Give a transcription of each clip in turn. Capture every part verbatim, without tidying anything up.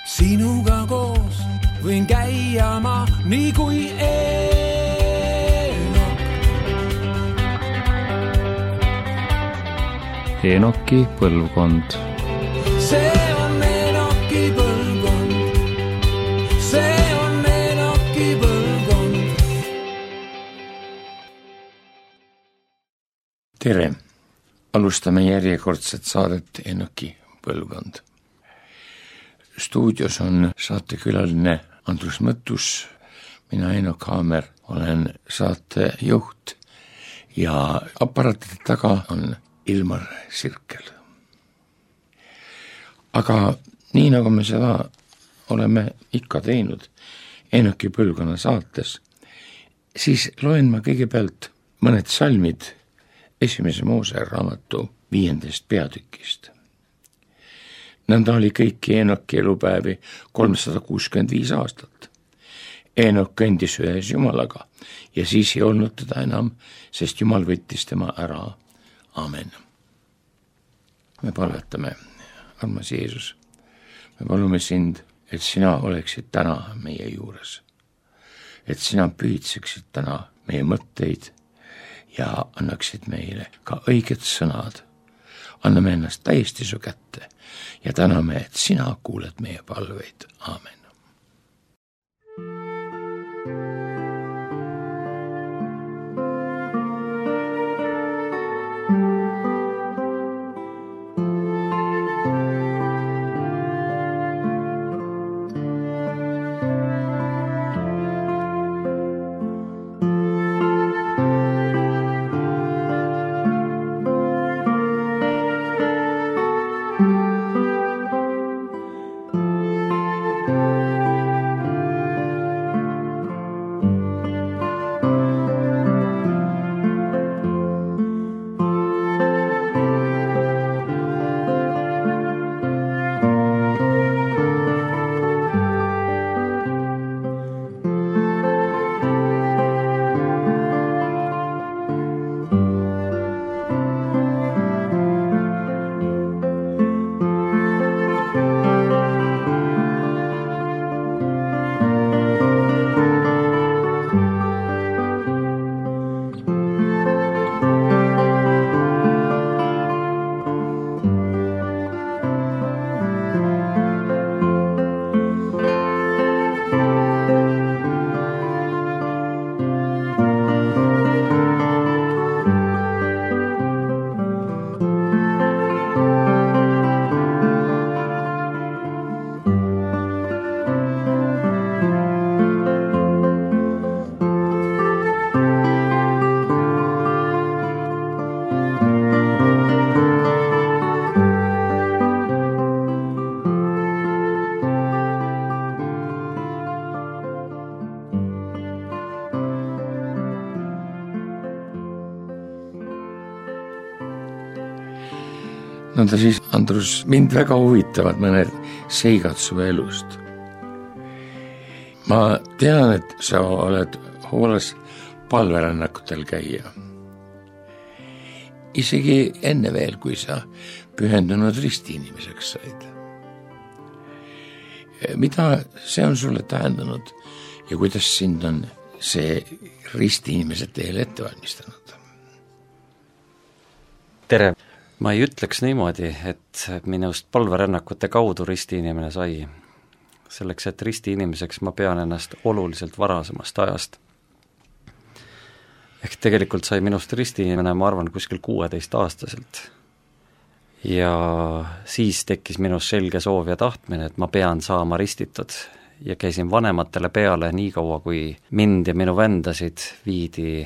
sinuga koos võin käia ma nii kui Eenok. Eenoki põlvkond. See on Eenoki põlvkond. See on Eenoki põlvkond. Tere! Alustame järjekordset saadet Eenoki põlvkond. Stuudios on saatekülaline Andrus Mõttus, mina Eenok Haamer, olen saatejuht ja aparaatide taga on Ilmar Sirkel. Aga nii nagu me seda oleme ikka teinud Eenoki põlvkonna saates, siis loen ma kõigepealt mõned salmid esimese Moose raamatu viiendast peatükist. Nõnda oli kõiki Eenoki elupäevi kolmsada kuuskümmend viis aastat. Eenok kõndis ühes Jumalaga ja siis ei olnud teda enam, sest Jumal võttis tema ära. Amen. Me palvetame, armas Jeesus, me palume sind, et sina oleksid täna meie juures. Et sina pühitseksid täna meie mõtteid ja annaksid meile ka õiged sõnad. Anname ennast täiesti su kätte ja täname, et sina kuuled meie palveid. Aamen. Nõnda siis, Andrus, mind väga huvitavad mõned seigad su elust. Ma tean, et sa oled hoolas palverännakutel käia. Isegi enne veel, kui sa pühendunud ristiinimeseks said. Mida see on sulle tähendanud ja kuidas sind on see ristiinimese teele ette valmistanud? Tere! Ma ei ütleks niimoodi, et minust palverännakute kaudu ristiinimene sai. Selleks, et ristiinimeseks ma pean ennast oluliselt varasemast ajast. Ehk tegelikult sai minust ristiinimene, ma arvan, kuskil kuueteist aastaselt. Ja siis tekkis minus selge soov ja tahtmine, et ma pean saama ristitud. Ja käisin vanematele peale nii kaua, kui mind ja minu vendasid viidi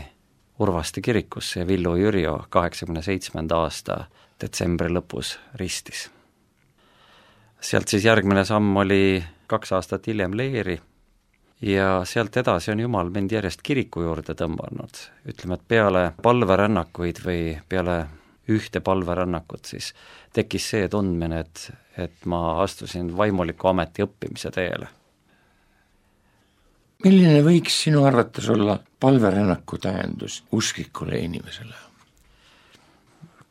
Urvaste kirikusse ja Villu Jürjo kaheksakümne seitsmenda aasta detsembri lõpus ristis. Sealt siis järgmine samm oli kaks aastat hiljem leeri ja sealt edasi on Jumal mind järjest kiriku juurde tõmbanud. Ütleme, et peale palverännakuid või peale ühte palverännakut siis tekkis see tundmine, et, et ma astusin vaimuliku ameti õppimise teele. Milline võiks sinu arvates olla palverännaku tähendus usklikule inimesele?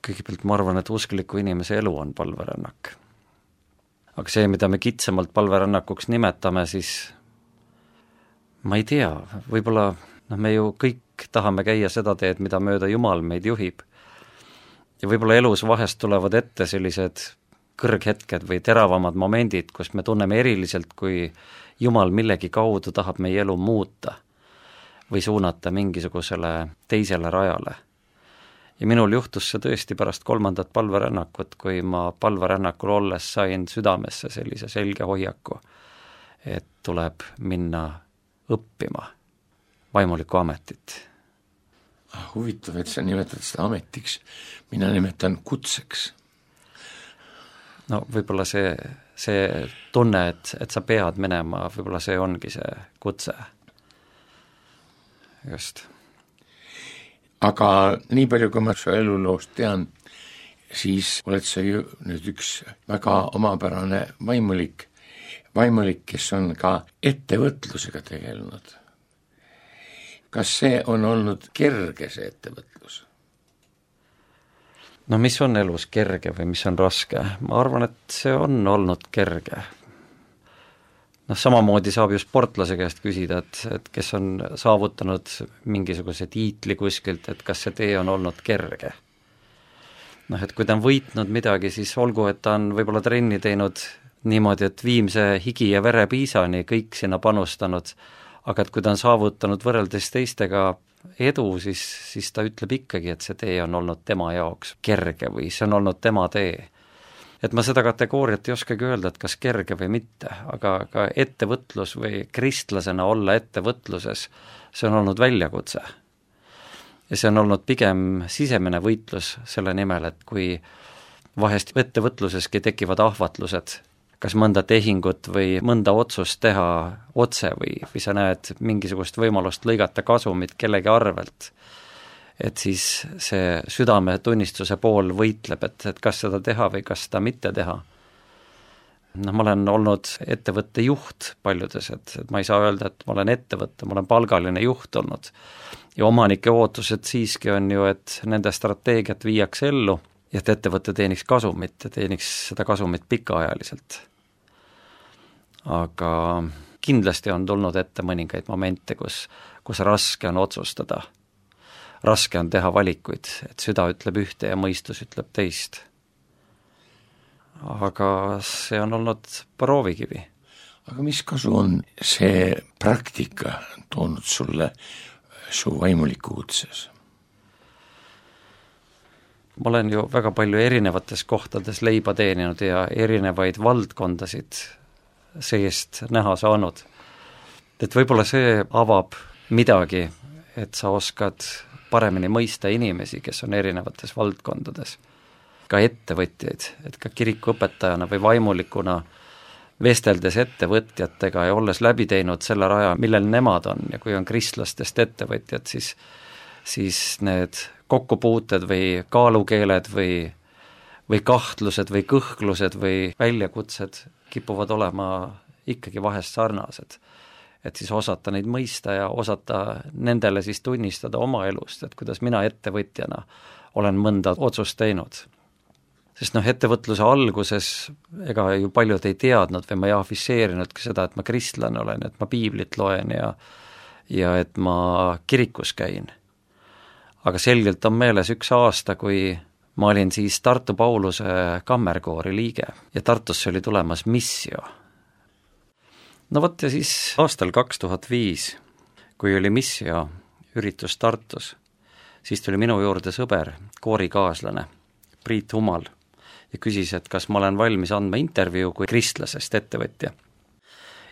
Kõigepealt ma arvan, et uskliku inimese elu on palverännak. aga see, mida me kitsamalt palverännakuks nimetame, siis ma ei tea, võib-olla noh, me ju kõik tahame käia seda teed, mida mööda Jumal meid juhib. Ja võib-olla elus vahest tulevad ette sellised kõrghetked või teravamad momendid, kus me tunneme eriliselt, kui Jumal millegi kaudu tahab meie elu muuta või suunata mingisugusele teisele rajale. Ja minul juhtus see tõesti pärast kolmandat palverännakut, kui ma palverännakul olles sain südamesse sellise selge hoiaku, et tuleb minna õppima vaimulikku ametit. Huvitav, et sa nimetad seda ametiks, mina nimetan kutseks. No võib-olla see, see tunne, et, et sa pead minema, võib-olla see ongi see kutse. Just. Aga nii palju, kui ma su eluloost tean, siis oled sa ju nüüd üks väga omapärane vaimulik, vaimulik, kes on ka ettevõtlusega tegelenud. Kas see on olnud kerge, see ettevõtlus? No mis on elus kerge või mis on raske? Ma arvan, et see on olnud kerge. Noh, samamoodi saab ju sportlase käest küsida, et, et kes on saavutanud mingisuguse tiitli kuskilt, et kas see tee on olnud kerge. Noh, et kui ta on võitnud midagi, siis olgu, et ta on võib-olla trenni teinud niimoodi, et viimse higi ja vere piisani kõik sinna panustanud, aga et kui ta on saavutanud võrreldes teistega edu, siis, siis ta ütleb ikkagi, et see tee on olnud tema jaoks kerge või see on olnud tema tee. Et ma seda kategooriat ei oskagi öelda, et kas kerge või mitte, aga ka ettevõtlus või kristlasena olla ettevõtluses, see on olnud väljakutse. Ja see on olnud pigem sisemine võitlus selle nimel, et kui vahest ettevõtluseski tekivad ahvatlused, kas mõnda tehingut või mõnda otsust teha otse või, või sa näed mingisugust võimalust lõigata kasumit kellegi arvelt, et siis see südametunnistuse pool võitleb, et, et kas seda teha või kas seda mitte teha. No, ma olen olnud ettevõtte juht paljudes, et, et ma ei saa öelda, et ma olen ettevõtte, ma olen palgaline juht olnud. Ja omanike ootused siiski on ju, et nende strateegiat viiakse ellu ja et ettevõtte teeniks kasumit ja teeniks seda kasumit pikaajaliselt. Aga kindlasti on tulnud ette mõningaid momente, kus, kus raske on otsustada. Raske on teha valikuid, et süda ütleb ühte ja mõistus ütleb teist. Aga see on olnud proovikivi. Aga mis kasu on see praktika toonud sulle su vaimuliku kutses? Ma olen ju väga palju erinevates kohtades leiba teeninud ja erinevaid valdkondasid seest näha saanud. Et võib-olla see avab midagi, et sa oskad paremini mõista inimesi, kes on erinevates valdkondades. Ka ettevõtjaid, et ka kirikuõpetajana või vaimulikuna vesteldes ettevõtjatega ja olles läbi teinud selle raja, millel nemad on ja kui on kristlastest ettevõtjad, siis, siis need kokkupuuted või kaalukeeled või, või kahtlused või kõhklused või väljakutsed kipuvad olema ikkagi vahest sarnased. Et siis osata neid mõista ja osata nendele siis tunnistada oma elust, et kuidas mina ettevõtjana olen mõnda otsust teinud. Sest noh, ettevõtluse alguses ega ju paljud ei teadnud või ma ei afiseerinudki seda, et ma kristlane olen, et ma piiblit loen ja, ja et ma kirikus käin. Aga selgelt on meeles üks aasta, kui ma olin siis Tartu Pauluse kammerkoori liige ja Tartusse oli tulemas missio. No võt ja siis aastal kaks tuhat viis, kui oli missio üritus Tartus, siis tuli minu juurde sõber, koorikaaslane Priit Humal ja küsis, et kas ma olen valmis andma intervjuu kui kristlasest ettevõtja.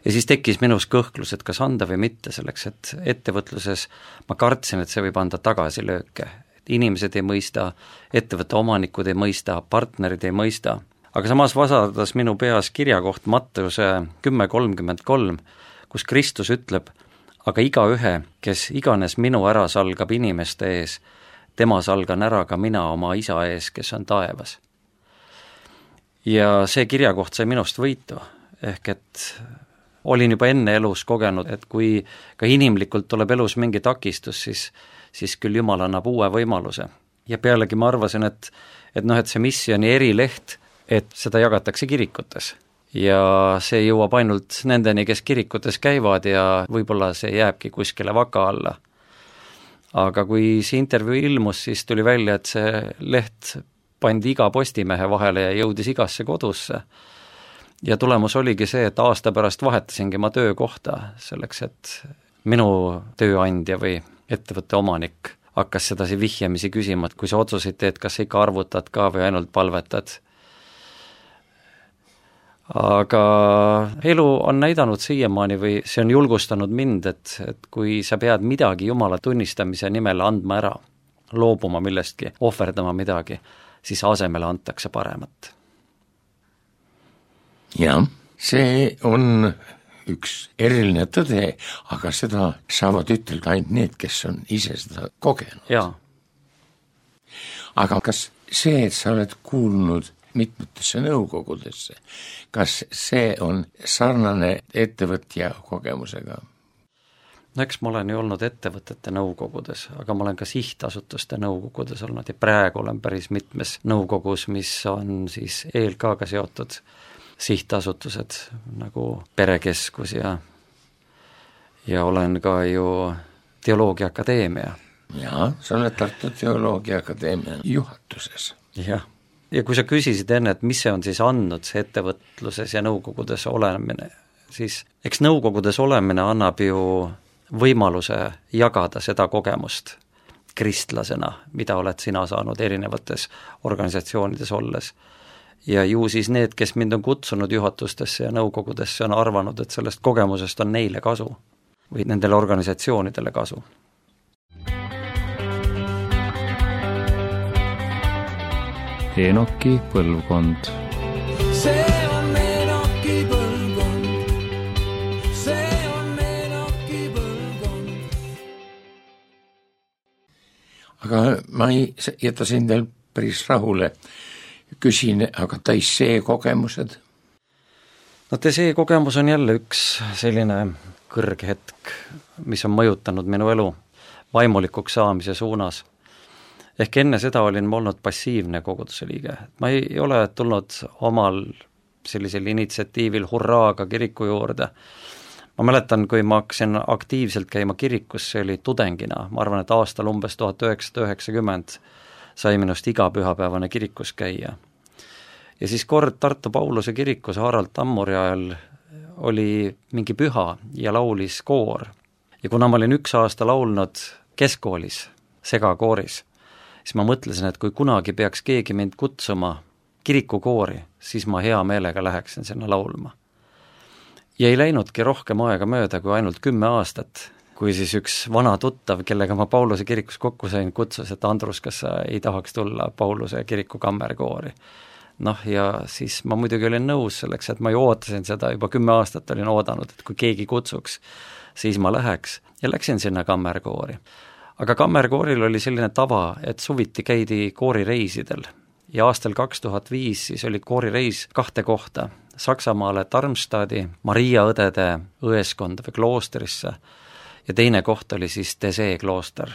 Ja siis tekkis minus kõhklus, et kas anda või mitte, selleks, et ettevõtluses ma kartsin, et see võib anda tagasilööke. Et inimesed ei mõista, ettevõtte omanikud ei mõista, partnerid ei mõista. Aga samas vasardas minu peas kirjakoht Matteuse kümme kolmkümmend kolm, kus Kristus ütleb, aga igaühe, kes iganes minu ära salgab inimeste ees, tema salgan ära ka mina oma isa ees, kes on taevas. Ja see kirjakoht sai minust võitu, ehk et olin juba enne elus kogenud, et kui ka inimlikult tuleb elus mingi takistus, siis, siis küll Jumal annab uue võimaluse. Ja pealegi ma arvasin, et, et, noh, et see missioni erileht, et seda jagatakse kirikutes. ja see jõuab ainult nendeni, kes kirikutes käivad ja võib-olla see jääbki kuskile vaka alla. Aga kui see intervjuu ilmus, siis tuli välja, et see leht pandi iga Postimehe vahele ja jõudis igasse kodusse. Ja tulemus oligi see, et aasta pärast vahetasingi ma töökohta selleks, et minu tööandja või ettevõtte omanik hakkas sedasi vihjamisi küsima, et kui sa otsuseid teed, kas sa ikka arvutad ka või ainult palvetad. Aga elu on näidanud siiamaani või see on julgustanud mind, et, et kui sa pead midagi Jumala tunnistamise nimel andma ära, loobuma millestki, ohverdama midagi, siis asemele antakse paremat. Jah, see on üks eriline tõde, aga seda saavad ütelda ainult need, kes on ise seda kogenud. Jaa. Aga kas see, et sa oled kuulnud mitmetesse nõukogudesse, kas see on sarnane ettevõtja kogemusega? No eks ma olen ju olnud ettevõtete nõukogudes, aga ma olen ka sihtasutuste nõukogudes olnud ja praegu olen päris mitmes nõukogus, mis on siis E L K-ga seotud sihtasutused nagu Perekeskus ja, ja olen ka ju Teoloogia Akadeemia. Jaa, sa oled Tartu Teoloogia Akadeemia juhatuses. Jah, ja kui sa küsisid enne, et mis see on siis andnud see ettevõtluses ja nõukogudes olemine, siis eks nõukogudes olemine annab ju võimaluse jagada seda kogemust kristlasena, mida oled sina saanud erinevates organisatsioonides olles. Ja ju siis need, kes mind on kutsunud juhatustesse ja nõukogudesse, on arvanud, et sellest kogemusest on neile kasu või nendele organisatsioonidele kasu. Enoki põlvkond. See on Enoki põlvkond. See on Enoki põlvkond. Aga ma ei jäta sind veel päris rahule. Küsin, aga Taissee kogemused? No Taissee kogemus on jälle üks selline kõrghetk, mis on mõjutanud minu elu vaimulikuks saamise suunas. Ehk enne seda olin ma olnud passiivne koguduse liige. Ma ei ole tulnud omal sellisel initsiatiivil hurraaga kiriku juurde. Ma mäletan, kui ma hakkasin aktiivselt käima kirikus, see oli tudengina. Ma arvan, et aastal umbes tuhat üheksasada üheksakümmend sai minust iga pühapäevane kirikus käia. Ja siis kord Tartu Pauluse kirikus Harald Tammuri ajal oli mingi püha ja laulis koor. Ja kuna ma olin üks aasta laulnud keskkoolis, segakooris, siis ma mõtlesin, et kui kunagi peaks keegi mind kutsuma kirikukoori, siis ma hea meelega läheksin sinna laulma. Ja ei läinudki rohkem aega mööda kui ainult kümme aastat, kui siis üks vana tuttav, kellega ma Pauluse kirikus kokku sain, kutsus, et Andrus, kas sa ei tahaks tulla Pauluse kiriku kammerkoori. Noh, ja siis ma muidugi olin nõus selleks, et ma ju ootasin seda, juba kümme aastat olin oodanud, et kui keegi kutsuks, siis ma läheks ja läksin sinna kammerkoori. Aga kammerkooril oli selline tava, et suviti käidi koorireisidel ja aastal kaks tuhat viis siis oli koorireis kahte kohta, Saksamaale Darmstadti, Maria õdede õeskonda või kloostrisse ja teine koht oli siis Taissee klooster.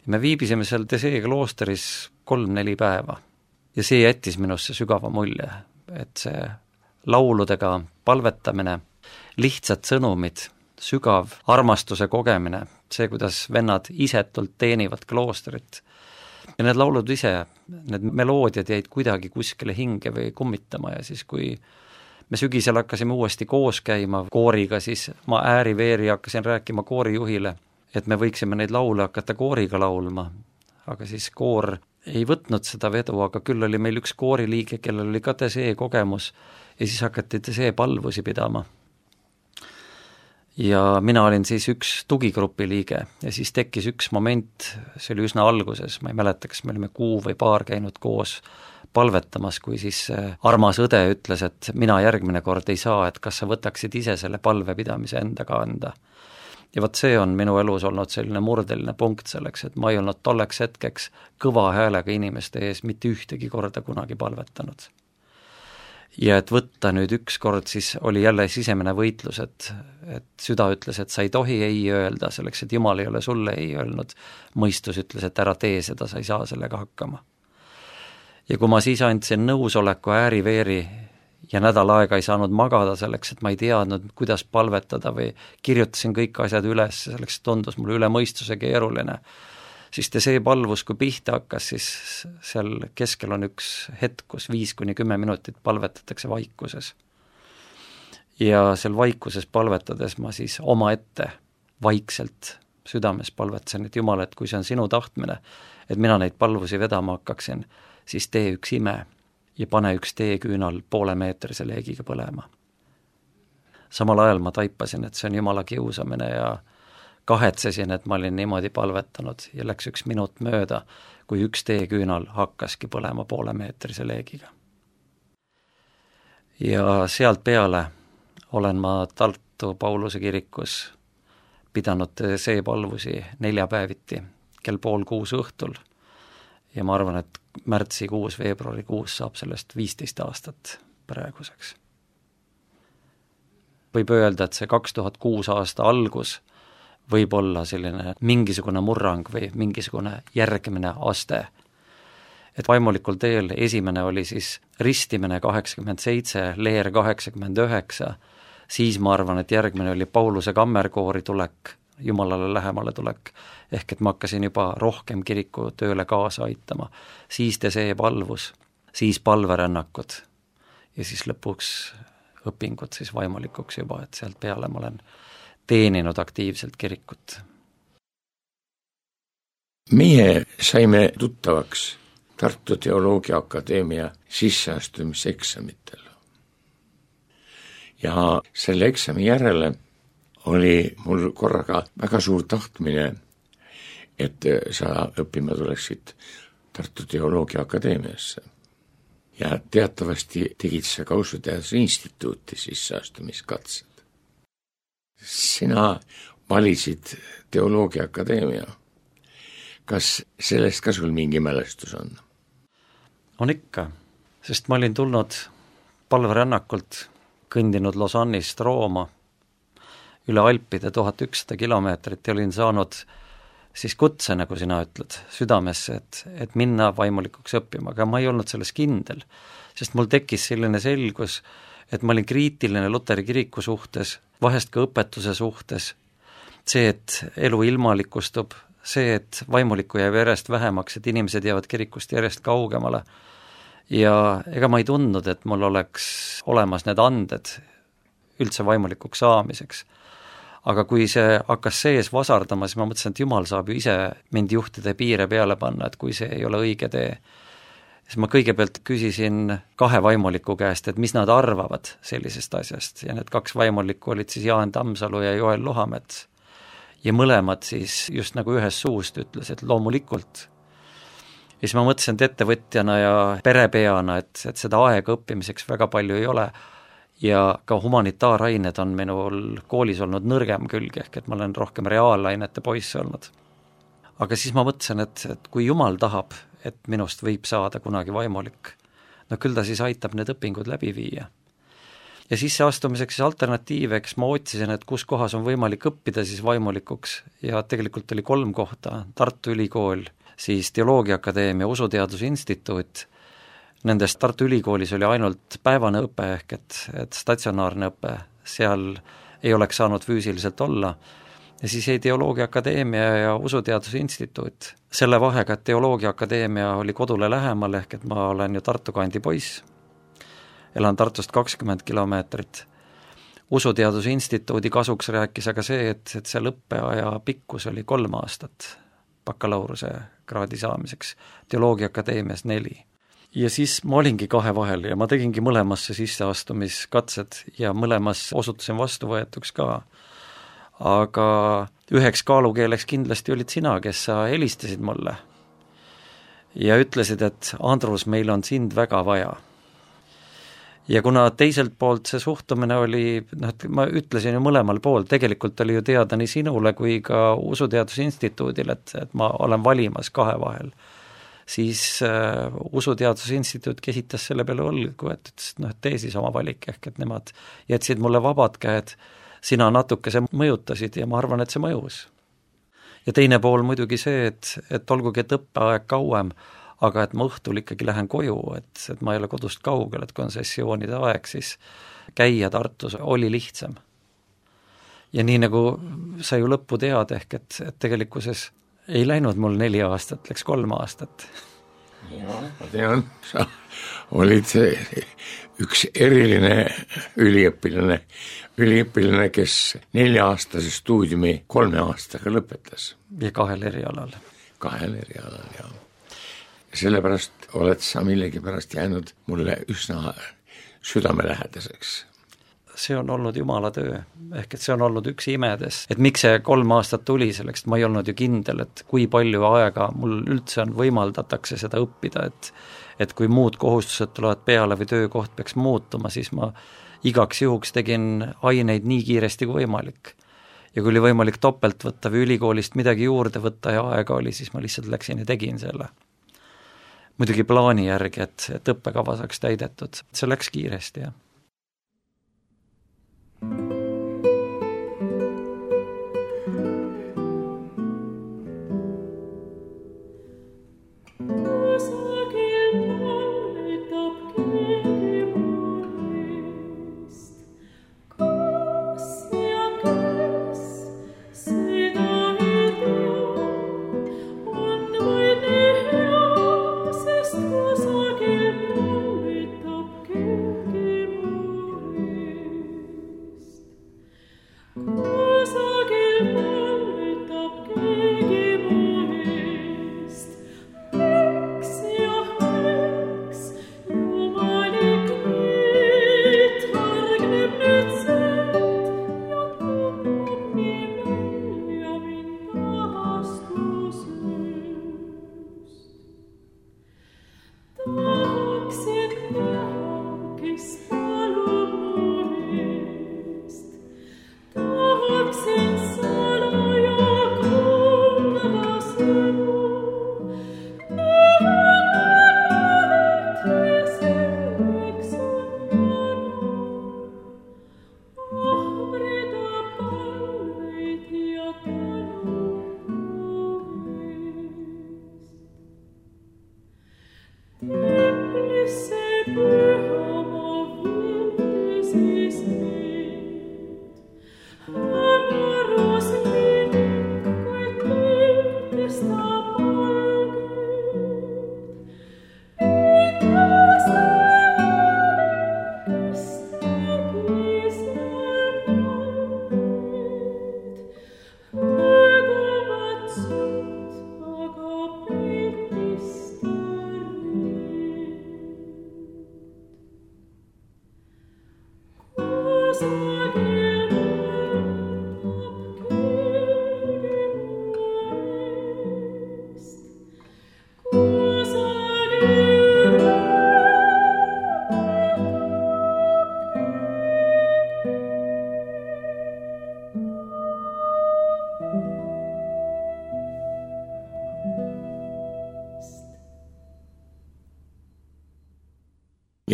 Me viibisime seal Taissee kloosteris kolm-neli päeva ja see jättis minusse sügava mulje, et see lauludega palvetamine, lihtsad sõnumid, sügav armastuse kogemine, see, kuidas vennad isetult teenivad kloostrit ja need laulud ise, need meloodiad jäid kuidagi kuskile hinge või kummitama ja siis kui me sügisel hakkasime uuesti koos käima kooriga, siis ma ääri-veeri hakkasin rääkima koorijuhile, et me võiksime neid laule hakata kooriga laulma, aga siis koor ei võtnud seda vedu, aga küll oli meil üks kooriliige, kellel oli ka Taissee kogemus ja siis hakati Taissee palvusi pidama. Ja mina olin siis üks tugigrupi liige ja siis tekkis üks moment, see oli üsna alguses, ma ei mäleta, kas me olime kuu või paar käinud koos palvetamas, kui siis armas õde ütles, et mina järgmine kord ei saa, et kas sa võtaksid ise selle palvepidamise endaga anda. Ja võt see on minu elus olnud selline murdeline punkt selleks, et ma ei olnud tolleks hetkeks kõva häälega inimeste ees mitte ühtegi korda kunagi palvetanud. Ja et võtta nüüd üks kord, siis oli jälle sisemine võitlus, et, et süda ütles, et sa ei tohi ei öelda selleks, et Jumal ei ole sulle ei öelnud. Mõistus ütles, et ära tee seda, sa ei saa sellega hakkama. Ja kui ma siis andsin nõusoleku ääri-veeri ja nädal aega ei saanud magada selleks, et ma ei teadnud, kuidas palvetada või kirjutasin kõik asjad üles, selleks tundus mulle üle mõistuse keeruline. Siis see palvus, kui pihta hakkas, siis seal keskel on üks hetk, kus viis kuni kümme minutit palvetatakse vaikuses. Ja seal vaikuses palvetades ma siis oma ette vaikselt südames palvetasin, et Jumal, et kui see on sinu tahtmine, et mina neid palvusi vedama hakkaksin, siis tee üks ime ja pane üks teeküünal poole meetrise leegiga põlema. Samal ajal ma taipasin, et see on Jumala kiusamine ja kahetsesin, et ma olin niimoodi palvetanud ja läks üks minut mööda, kui üks teeküünal hakkaski põlema poole meetrise leegiga. Ja sealt peale olen ma Tartu Pauluse kirikus pidanud see palvusi neljapäeviti kell pool kuus õhtul ja ma arvan, et märtsikuus, veebruarikuus saab sellest viisteist aastat praeguseks. Võib öelda, et see kaks tuhat kuus aasta algus võib olla selline mingisugune murrang või mingisugune järgmine aste. Et vaimulikul teel esimene oli siis ristimine kaheksakümmend seitse, leer kaheksakümmend üheksa, siis ma arvan, et järgmine oli Pauluse kammerkoori tulek, Jumalale lähemale tulek, ehk et ma hakkasin juba rohkem kiriku tööle kaasa aitama. Siis te see palvus, siis palverännakud ja siis lõpuks õpingud siis vaimulikuks juba, et sealt peale ma olen teeninud aktiivselt kirikut. Meie saime tuttavaks Tartu Teoloogia Akadeemia sisseastumiseksamitel. Ja selle eksami järele oli mul korraga väga suur tahtmine, et sa õppima tuleksid Tartu Teoloogia Akadeemiasse. Ja teatavasti tegid sa ka Usuteaduse Instituuti sisseastumiskatsed. Sina valisid Teoloogia Akadeemia. Kas sellest ka sul mingi mälestus on? On ikka, sest ma olin tulnud palverännakult, kõndinud Lausannist Rooma üle Alpide tuhat ükssada kilomeetrit ja olin saanud siis kutse, nagu sina ütled, südamesse, et, et minna vaimulikuks õppima, aga ma ei olnud selles kindel, sest mul tekkis selline selgus, et ma olin kriitiline Luteri kiriku suhtes, vahest ka õpetuse suhtes, see, et elu ilmalikustub, see, et vaimulikku jääb järjest vähemaks, et inimesed jäävad kirikust järjest kaugemale ja ega ma ei tundnud, et mul oleks olemas need anded üldse vaimulikuks saamiseks. Aga kui see hakkas sees vasardama, siis ma mõtlesin, et Jumal saab ju ise mind juhtida piire peale panna, et kui see ei ole õige tee. Siis ma kõigepealt küsisin kahe vaimuliku käest, et mis nad arvavad sellisest asjast ja need kaks vaimulikku olid siis Jaan Tammsalu ja Joel Lohamets. Ja mõlemad siis just nagu ühest suust ütles, et loomulikult. Ja siis ma mõtlesin, et ettevõtjana ja perepeana, et, et seda aega õppimiseks väga palju ei ole ja ka humanitaarained on minul koolis olnud nõrgem külg, ehk et ma olen rohkem reaalainete poiss olnud. Aga siis ma mõtlesin, et, et kui Jumal tahab, et minust võib saada kunagi vaimulik, no küll ta siis aitab need õpingud läbi viia. Ja sisseastumiseks siis alternatiiveks ma otsisin, et kus kohas on võimalik õppida siis vaimulikuks ja tegelikult oli kolm kohta, Tartu Ülikool, siis Teoloogia Akadeemia, Usuteaduse Instituut. Nendest Tartu Ülikoolis oli ainult päevane õpe ehk et, et statsionaarne õpe, seal ei oleks saanud füüsiliselt olla. Ja siis jäi Teoloogia Akadeemia ja Usuteaduse Instituut. Selle vahega, et Teoloogia Akadeemia oli kodule lähemal ehk et ma olen ju Tartu kandi poiss. Elan Tartust kakskümmend kilomeetrit. Usuteaduse Instituudi kasuks rääkis aga see, et, et seal õppeaja pikkus oli kolm aastat bakalaureuse kraadi saamiseks, Teoloogia Akadeemias neli. Ja siis ma olingi kahe vahel ja ma tegingi mõlemasse sisseastumiskatsed ja mõlemas osutusin vastuvõetuks ka. Aga üheks kaalukeeleks kindlasti olid sina, kes sa helistasid mulle ja ütlesid, et Andrus, meil on sind väga vaja. Ja kuna teiselt poolt see suhtumine oli, noh, ma ütlesin ju mõlemal pool, tegelikult oli ju teada nii sinule kui ka Usuteaduse Instituudil, et, et ma olen valimas kahe vahel. Siis uh, Usuteaduse Instituut kesitas selle peale õlgu, et ütles, et noh, tee siis oma valik, ehk et nemad jätsid mulle vabad käed, sina natuke see mõjutasid ja ma arvan, et see mõjus. Ja teine pool muidugi see, et, et olgugi, et õppeaeg kauem, aga et ma õhtul ikkagi lähen koju, et, et ma ei ole kodust kaugel, et kui on sessioonide aeg, siis käia Tartus oli lihtsam. Ja nii nagu sa ju lõppu tead, ehk et, et tegelikkuses ei läinud mul neli aastat, läks kolm aastat. Ja, ma tean, sa olid üks eriline üliõpilane, üliõpilane, kes nelja-aastase stuudiumi kolme aastaga lõpetas. Ja kahel erialal. Kahel erialal, jah. Sellepärast oled sa millegipärast jäänud mulle üsna südamelähedaseks. See on olnud jumala töö, ehk et see on olnud üks imedes, et miks see kolm aastat tuli selleks, ma ei olnud ju kindel, et kui palju aega mul üldse on võimaldatakse seda õppida, et et kui muud kohustused tulevad peale või töökoht peaks muutuma, siis ma igaks juhuks tegin aineid nii kiiresti kui võimalik. Ja kui oli võimalik topelt võtta või ülikoolist midagi juurde võtta ja aega oli, siis ma lihtsalt läksin ja tegin selle. Muidugi plaani järgi, et, et õppekava saaks täidetud, see läks kiiresti, jah.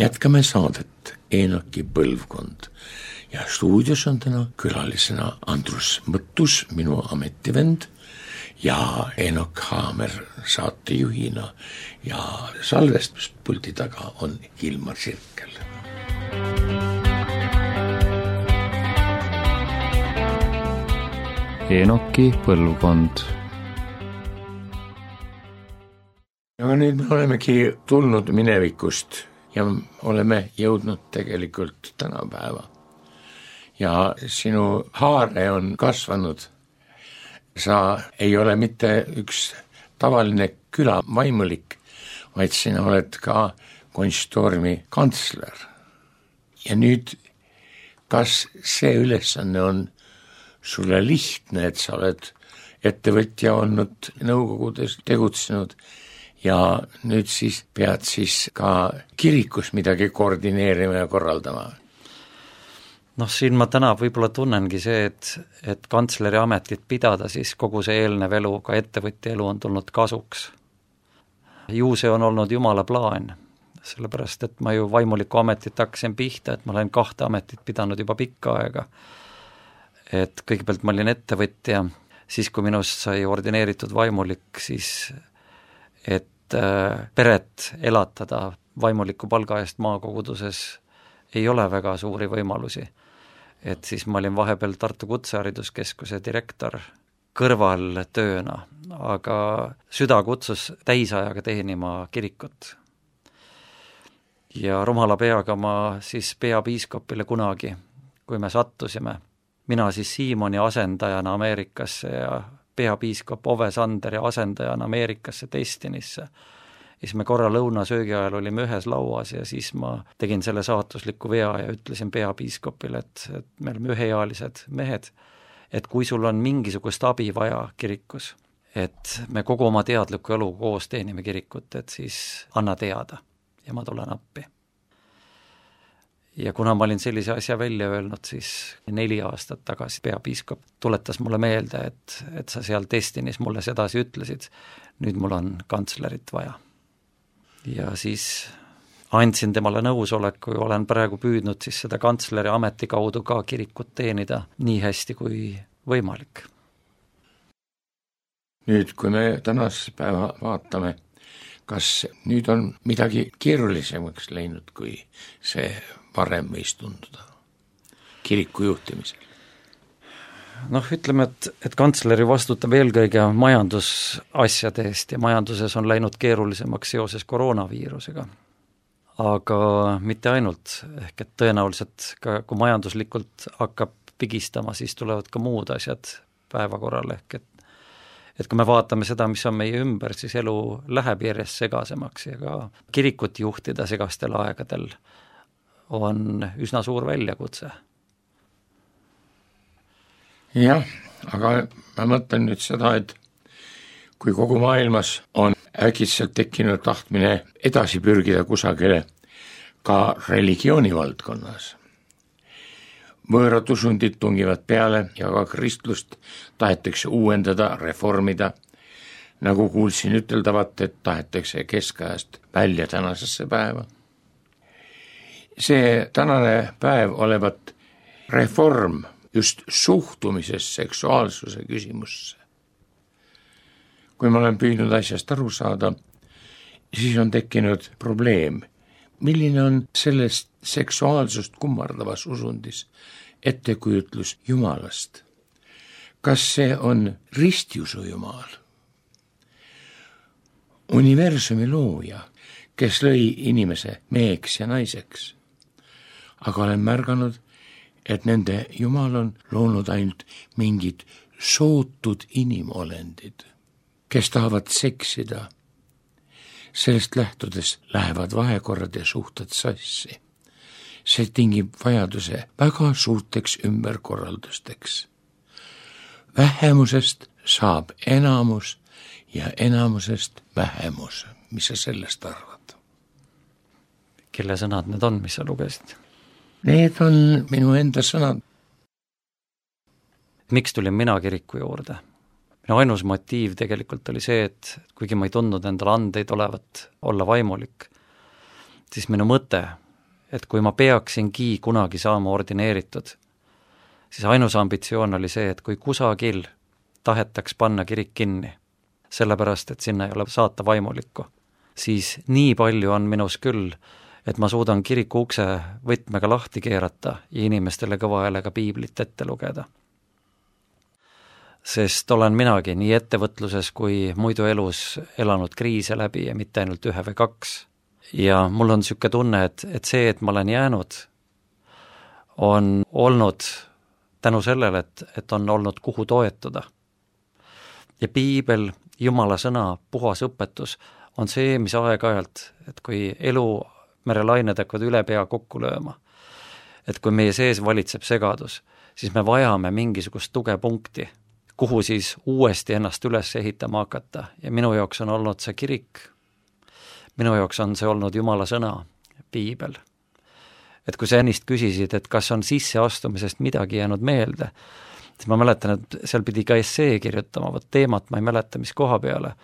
Jätkame saadet Eenoki põlvkond ja stuudios on täna külalisena Andrus Mõttus, minu ametivend, ja Eenok Haamer saatejuhina ja salvestuspulti taga on Hilmar Sirkel. Eenoki põlvkond. Aga nüüd me olemegi tulnud minevikust ja oleme jõudnud tegelikult tänapäeva. Ja sinu haare on kasvanud. Sa ei ole mitte üks tavaline külavaimulik, vaid sina oled ka konstormi kantsler. Ja nüüd, kas see ülesanne on sulle lihtne, et sa oled ettevõtja olnud, nõukogudes tegutsenud, ja nüüd siis pead siis ka kirikus midagi koordineerima ja korraldama? Noh, siin ma täna võib-olla tunnengi see, et, et kantsleri ametit pidada, siis kogu see eelnev elu, ka ettevõtja elu on tulnud kasuks. Ju see on olnud jumala plaan, sellepärast, et ma ju vaimuliku ametit hakkasin pihta, et ma olen kahte ametit pidanud juba pikka aega. Et kõigepealt ma olin ettevõtja, siis kui minust sai ordineeritud vaimulik, siis et peret elatada vaimuliku palga eest maakoguduses ei ole väga suuri võimalusi. Et siis ma olin vahepeal Tartu Kutsehariduskeskuse direktor kõrval tööna, aga süda kutsus täisajaga teenima kirikut. Ja rumala peaga ma siis peapiiskopile kunagi, kui me sattusime, mina siis Siimoni asendajana Ameerikasse ja peapiiskop Ove Sanderi asendajana Ameerikasse Destinisse. Siis me korra lõunasöögi ajal olime ühes lauas ja siis ma tegin selle saatusliku vea ja ütlesin peapiiskopile, et, et me oleme üheealised mehed, et kui sul on mingisugust abi vaja kirikus, et me kogu oma teadliku elu koos teenime kirikut, et siis anna teada ja ma tulen appi. Ja kuna ma olin sellise asja välja öelnud, siis neli aastat tagasi peapiiskop tuletas mulle meelde, et, et sa seal Destinis mulle sedasi ütlesid, nüüd mul on kantslerit vaja. Ja siis andsin temale nõusoleku ja olen praegu püüdnud siis seda kantsleri ameti kaudu ka kirikut teenida nii hästi kui võimalik. Nüüd, kui me tänase päeva vaatame, kas nüüd on midagi keerulisemaks läinud, kui see varem võis tunduda kiriku juhtimisel? Noh, ütleme, et, et kantsleri vastutab eelkõige majandusasjade eest ja majanduses on läinud keerulisemaks seoses koroonaviirusega. Aga mitte ainult, ehk et tõenäoliselt ka, kui majanduslikult hakkab pigistama, siis tulevad ka muud asjad päevakorral, ehk et et kui me vaatame seda, mis on meie ümber, siis elu läheb järjest segasemaks ja ka kirikut juhtida segastel aegadel on üsna suur väljakutse. Jah, aga ma mõtlen nüüd seda, et kui kogu maailmas on äkitselt tekkinud tahtmine edasi pürgida kusagile ka religiooni valdkonnas, võõrad usundid tungivad peale ja ka kristlust tahetakse uuendada, reformida, nagu kuulsin üteldavat, et tahetakse keskajast välja tänasesse päeva. See tänane päev olevat reform just suhtumises seksuaalsuse küsimusse. Kui ma olen püüdnud asjast aru saada, siis on tekkinud probleem, milline on sellest seksuaalsust kummardavas usundis ettekujutlus Jumalast. Kas see on ristiusu Jumal? Universumi looja, kes lõi inimese meheks ja naiseks. Aga olen märganud, et nende Jumal on loonud ainult mingid sootud inimolendid, kes tahavad seksida. Sellest lähtudes lähevad vahekorrad ja suhted sassi. See tingib vajaduse väga suurteks ümberkorraldusteks. Vähemusest saab enamus ja enamusest vähemus. Mis sa sellest arvad? Kelle sõnad need on, mis sa lugesid? Need on minu enda sõnad. Miks tulin mina kiriku juurde? Minu ainus motiiv tegelikult oli see, et kuigi ma ei tundnud endale andeid olevat olla vaimulik, siis minu mõte, et kui ma peaksingi kunagi saama ordineeritud, siis ainus ambitsioon oli see, et kui kusagil tahetaks panna kirik kinni, sellepärast, et sinna ei ole saata vaimulikku, siis nii palju on minus küll, et ma suudan kiriku ukse võtmega lahti keerata ja inimestele kõva häälega piiblit ette lugeda. Sest olen minagi nii ettevõtluses kui muidu elus elanud kriise läbi ja mitte ainult ühe või kaks. Ja mul on siuke tunne, et, et see, et ma olen jäänud, on olnud tänu sellele, et, et on olnud kuhu toetuda. Ja piibel, Jumala sõna, puhas õpetus on see, mis aeg-ajalt, et kui elu merelained hakkavad üle pea kokku lööma, et kui meie sees valitseb segadus, siis me vajame mingisugust tugepunkti, kuhu siis uuesti ennast üles ehitama hakata. Ja minu jaoks on olnud see kirik, minu jaoks on see olnud Jumala sõna, piibel. Et kui sa ennist küsisid, et kas on sisseastumisest midagi jäänud meelde, siis ma mäletan, et seal pidi ka essee kirjutama, võt teemat ma ei mäleta, mis koha peale,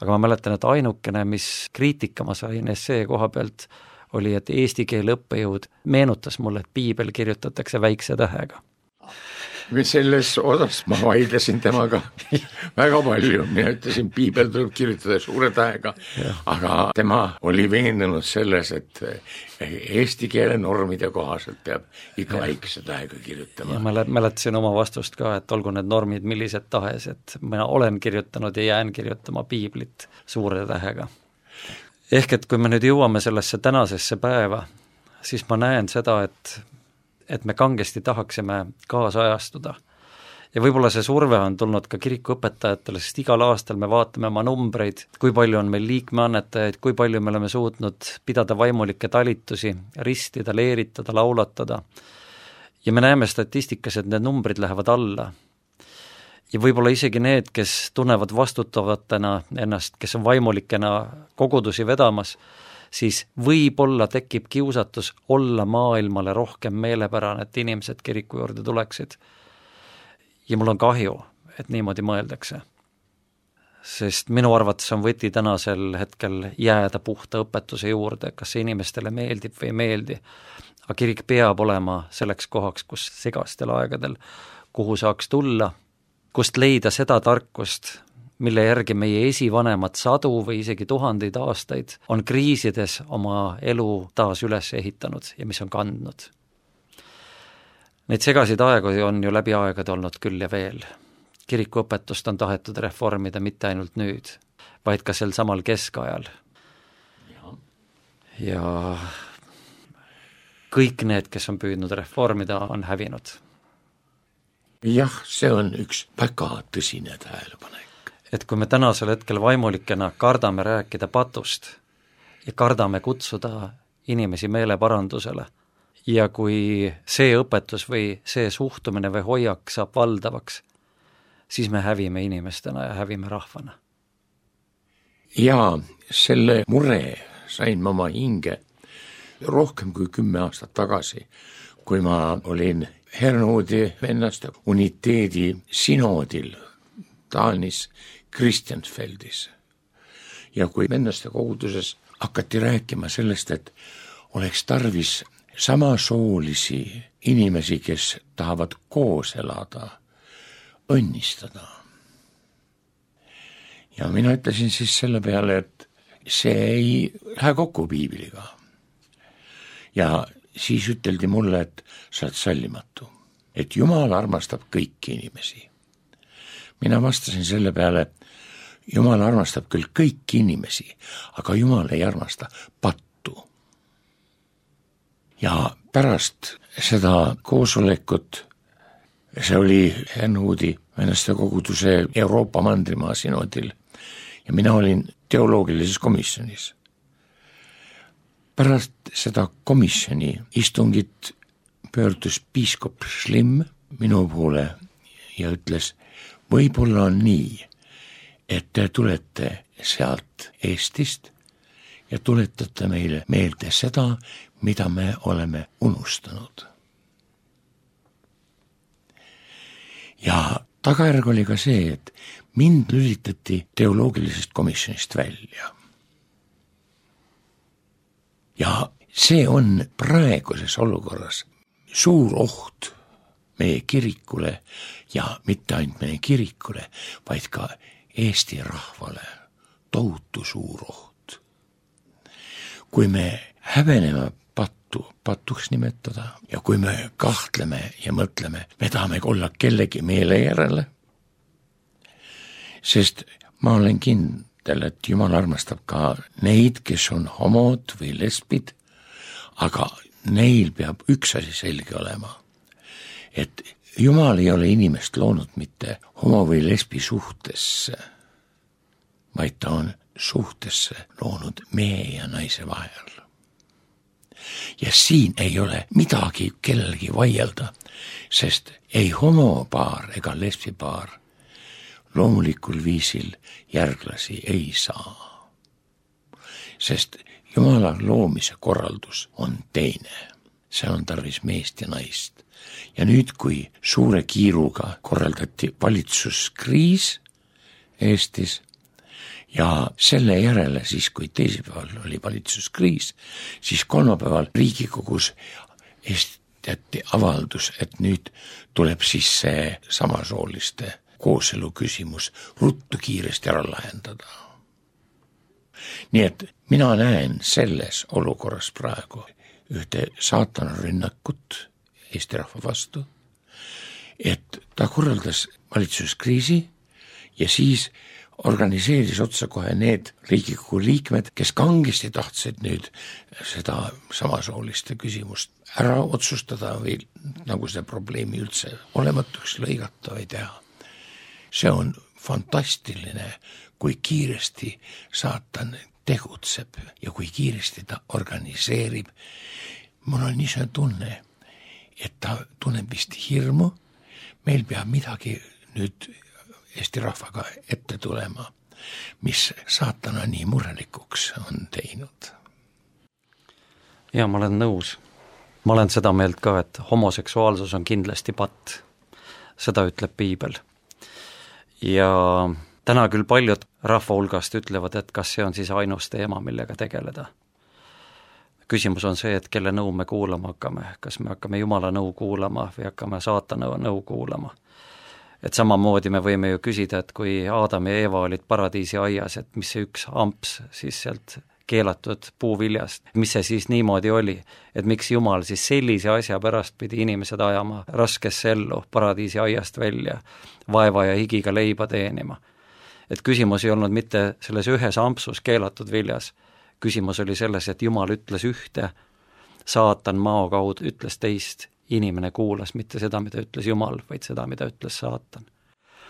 aga ma mäletan, et ainukene, mis kriitika ma sain essee koha pealt, oli, et eesti keele õppejõud meenutas mulle, et piibel kirjutatakse väikse tähega. selles osas ma vaidlesin temaga väga palju, mina ütlesin, piibel tuleb kirjutada suure tähega, aga tema oli veendunud selles, et eesti keele normide kohaselt peab ikka väikese tähega kirjutama. Ma mäletasin oma vastust ka, et olgu need normid millised tahes, et mina olen kirjutanud ja jään kirjutama piiblit suure tähega. Ehk et kui me nüüd jõuame sellesse tänasesse päeva, siis ma näen seda, et et me kangesti tahaksime kaasajastuda. Ja võib-olla see surve on tulnud ka kirikuõpetajatele, sest igal aastal me vaatame oma numbreid, kui palju on meil liikmeannetajaid, kui palju me oleme suutnud pidada vaimulikke talitusi, ristida, leeritada, laulatada. Ja me näeme statistikas, et need numbrid lähevad alla. Ja võib-olla isegi need, kes tunnevad vastutavatena ennast, kes on vaimulikena kogudusi vedamas, siis võib-olla tekib kiusatus olla maailmale rohkem meelepärane, et inimesed kiriku juurde tuleksid. Ja mul on kahju, et niimoodi mõeldakse. Sest minu arvates on võti tänasel hetkel jääda puhta õpetuse juurde, kas see inimestele meeldib või ei meeldi. Aga kirik peab olema selleks kohaks, kus segastel aegadel, kuhu saaks tulla, kust leida seda tarkust, mille järgi meie esivanemad sadu või isegi tuhandeid aastaid on kriisides oma elu taas üles ehitanud ja mis on kandnud. Neid segasid aegu on ju läbi aegade olnud küll ja veel. Kirikuõpetust on tahetud reformida mitte ainult nüüd, vaid ka sel samal keskajal. Ja kõik need, kes on püüdnud reformida, on hävinud. Jah, see on üks väga tõsine tähelepanek. Et kui me tänasel hetkel vaimulikena kardame rääkida patust ja kardame kutsuda inimesi meeleparandusele ja kui see õpetus või see suhtumine või hoiak saab valdavaks, siis me hävime inimestena ja hävime rahvana. Ja selle mure sain ma oma hinge rohkem kui kümme aastat tagasi, kui ma olin Hernoodi vennaste uniteedi sinodil Taanis Kristjansfeldis. Ja kui vennaste koguduses hakati rääkima sellest, et oleks tarvis samasoolisi inimesi, kes tahavad koos elada, õnnistada. Ja mina ütlesin siis selle peale, et see ei lähe kokku piibliga. Ja siis üteldi mulle, et sa oled sallimatu, et Jumal armastab kõiki inimesi. Mina vastasin selle peale, Jumal armastab küll kõiki inimesi, aga Jumal ei armasta pattu. Ja pärast seda koosolekut, see oli Hernoodi vennaste koguduse Euroopa mandrimaa sinodil ja mina olin teoloogilises komisjonis. Pärast seda komisjoni istungit pöördus piiskop Schlimm minu poole ja ütles, võib-olla on nii, et te tulete sealt Eestist ja tuletate meile meelde seda, mida me oleme unustanud. Ja tagajärg oli ka see, et mind lülitati teoloogilisest komisjonist välja. Ja see on praeguses olukorras suur oht meie kirikule ja mitte ainult meie kirikule, vaid ka Eesti rahvale tohutu suur oht. Kui me häbeneme pattu, patuks nimetada ja kui me kahtleme ja mõtleme, me tahame olla kellegi meele järele, sest ma olen kindel, et Jumal armastab ka neid, kes on homod või lesbid, aga neil peab üks asi selge olema, et Jumal ei ole inimest loonud mitte homo või lesbi suhtesse, vaid ta on suhtesse loonud mehe ja naise vahel. Ja siin ei ole midagi kellelgi vaielda, sest ei homopaar ega lesbipaar loomulikul viisil järglasi ei saa. Sest Jumala loomise korraldus on teine, see on tarvis meest ja naist. Ja nüüd, kui suure kiiruga korraldati valitsuskriis Eestis ja selle järele siis, kui teisipäeval oli valitsuskriis, siis kolmapäeval Riigikogus Eesti tehti avaldus, et nüüd tuleb siis see samasooliste kooselu küsimus ruttu kiiresti ära lahendada. Nii et mina näen selles olukorras praegu ühte saatana rünnakut Eesti rahva vastu, et ta korraldas valitsuskriisi ja siis organiseeris otsa kohe need Riigikogu liikmed, kes kangesti tahtsid nüüd seda samasooliste küsimust ära otsustada või nagu see probleemi üldse olematuks lõigata või teha. See on fantastiline, kui kiiresti saatan tegutseb ja kui kiiresti ta organiseerib. Mul on niisugune tunne, et ta tunneb vist hirmu, meil peab midagi nüüd Eesti rahvaga ette tulema, mis saatana nii murelikuks on teinud. Ja ma olen nõus. Ma olen seda meelt ka, et homoseksuaalsus on kindlasti patt. Seda ütleb piibel. Ja täna küll paljud rahva hulgast ütlevad, et kas see on siis ainus teema, millega tegeleda. Küsimus on see, et kelle nõu me kuulama hakkame. Kas me hakkame Jumala nõu kuulama või hakkame saatana nõu kuulama. Et samamoodi me võime ju küsida, et kui Aadam ja Eeva olid paradiisi aias, et mis see üks amps siis sealt keelatud puuviljast, mis see siis niimoodi oli, et miks Jumal siis sellise asja pärast pidi inimesed ajama raskesse ellu paradiisi aiast välja, vaeva ja higiga leiba teenima. Et küsimus ei olnud mitte selles ühes ampsus keelatud viljas, küsimus oli selles, et Jumal ütles ühte, saatan mao kaudu ütles teist, inimene kuulas mitte seda, mida ütles Jumal, vaid seda, mida ütles saatan.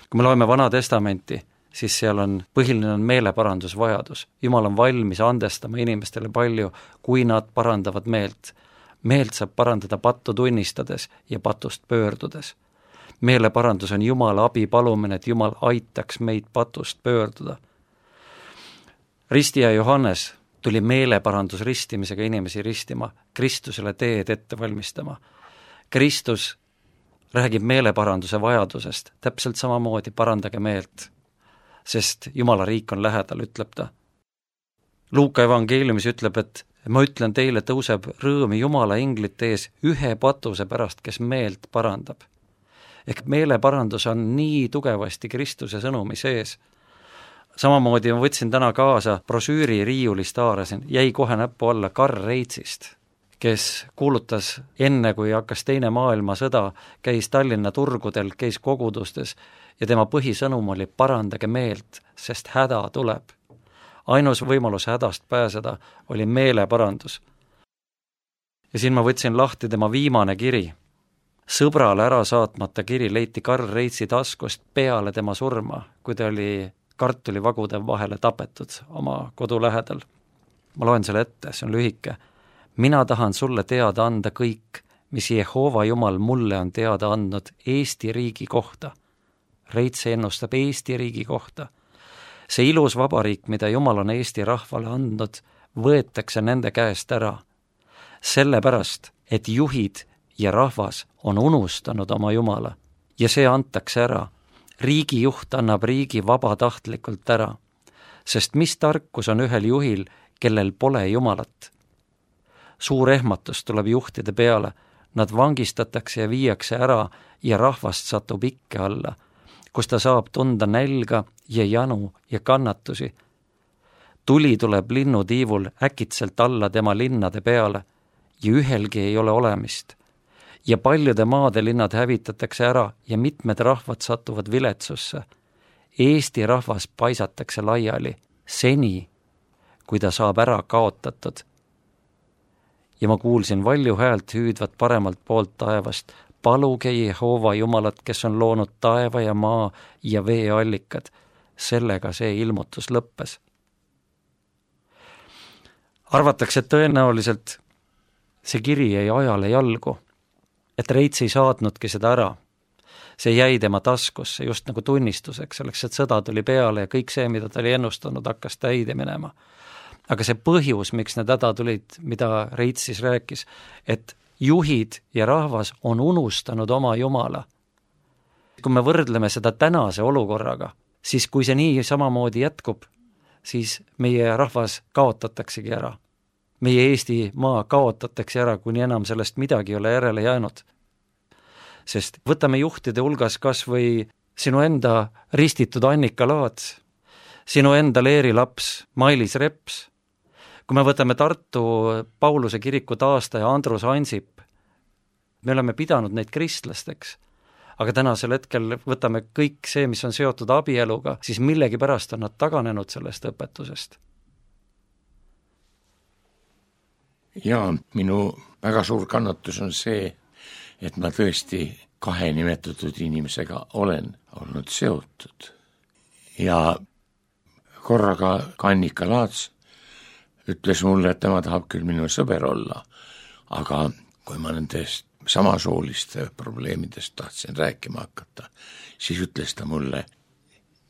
Kui me loeme Vana Testamenti, siis seal on põhiline on meeleparandusvajadus. Jumal on valmis andestama inimestele palju, kui nad parandavad meelt. Meelt saab parandada pattu tunnistades ja patust pöördudes. Meeleparandus on Jumala abi palumine, et Jumal aitaks meid patust pöörduda. Ristija Johannes tuli meeleparandus ristimisega inimesi ristima, Kristusele teed ette valmistama. Kristus räägib meeleparanduse vajadusest, täpselt samamoodi parandage meelt, sest Jumala riik on lähedal, ütleb ta. Luuka evangeeliumis ütleb, et ma ütlen teile, tõuseb rõõmi Jumala englite ees ühe patuse pärast, kes meelt parandab. Ehk meeleparandus on nii tugevasti Kristuse sõnumi sees. Samamoodi ma võtsin täna kaasa brosüüri riiulist haarasin, jäi kohe näppu alla Karl Reitsist, kes kuulutas enne, kui hakkas teine maailmasõda, käis Tallinna turgudel, käis kogudustes ja tema põhisõnum oli parandage meelt, sest häda tuleb. Ainus võimalus hädast pääseda oli meeleparandus. Ja siin ma võtsin lahti tema viimane kiri. Sõbrale ära saatmata kiri leiti Karl Reitsi taskust peale tema surma, kui ta oli kartulivagude vahele tapetud oma kodu lähedal. Ma loen selle ette, see on lühike. Mina tahan sulle teada anda kõik, mis Jehova Jumal mulle on teada andnud Eesti riigi kohta. Reits ennustab Eesti riigi kohta. See ilus vabariik, mida Jumal on Eesti rahvale andnud, võetakse nende käest ära. Sellepärast, et juhid ja rahvas on unustanud oma Jumala ja see antakse ära. Riigi juht annab riigi vabatahtlikult ära, sest mis tarkus on ühel juhil, kellel pole Jumalat. Suur ehmatus tuleb juhtide peale, nad vangistatakse ja viiakse ära ja rahvast satub ikke alla, kus ta saab tunda nälga ja janu ja kannatusi. Tuli tuleb linnutiivul äkitselt alla tema linnade peale ja ühelgi ei ole olemist. Ja paljude maade linnad hävitatakse ära ja mitmed rahvad satuvad viletsusse. Eesti rahvas paisatakse laiali seni, kui ta saab ära kaotatud. Ja ma kuulsin valju häält hüüdvat paremalt poolt taevast, paluge Jehova Jumalat, kes on loonud taeva ja maa ja veeallikad. Sellega see ilmutus lõppes. Arvatakse, et tõenäoliselt see kiri jäi ajale jalgu, et Reits ei saatnudki seda ära. See jäi tema taskusse just nagu tunnistuseks, selleks, et sõda tuli peale ja kõik see, mida ta oli ennustanud, hakkas täide minema. Aga see põhjus, miks need häda tulid, mida Reits siis rääkis, et juhid ja rahvas on unustanud oma Jumala. Kui me võrdleme seda tänase olukorraga, siis kui see nii samamoodi jätkub, siis meie rahvas kaotataksegi ära. meie Eesti maa kaotatakse ära, kuni enam sellest midagi ei ole järele jäänud. Sest võtame juhtide hulgas kas või sinu enda ristitud Annika Laats, sinu enda Leeri laps Mailis Reps, kui me võtame Tartu Pauluse kiriku taastaja Andrus Ansip, me oleme pidanud neid kristlasteks, aga tänasel hetkel võtame kõik see, mis on seotud abieluga, siis millegi pärast on nad taganenud sellest õpetusest. Ja minu väga suur kannatus on see, et ma tõesti kahe nimetatud inimesega olen olnud seotud. Ja korraga Annika Laats ütles mulle, et tema tahab küll minu sõber olla, aga kui ma nendest samasooliste probleemidest tahtsin rääkima hakata, siis ütles ta mulle,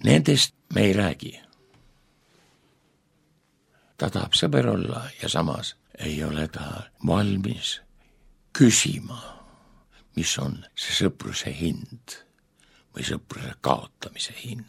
nendest me ei räägi. Ta tahab sõber olla ja samas ei ole ta valmis küsima, mis on see sõpruse hind või sõpruse kaotamise hind.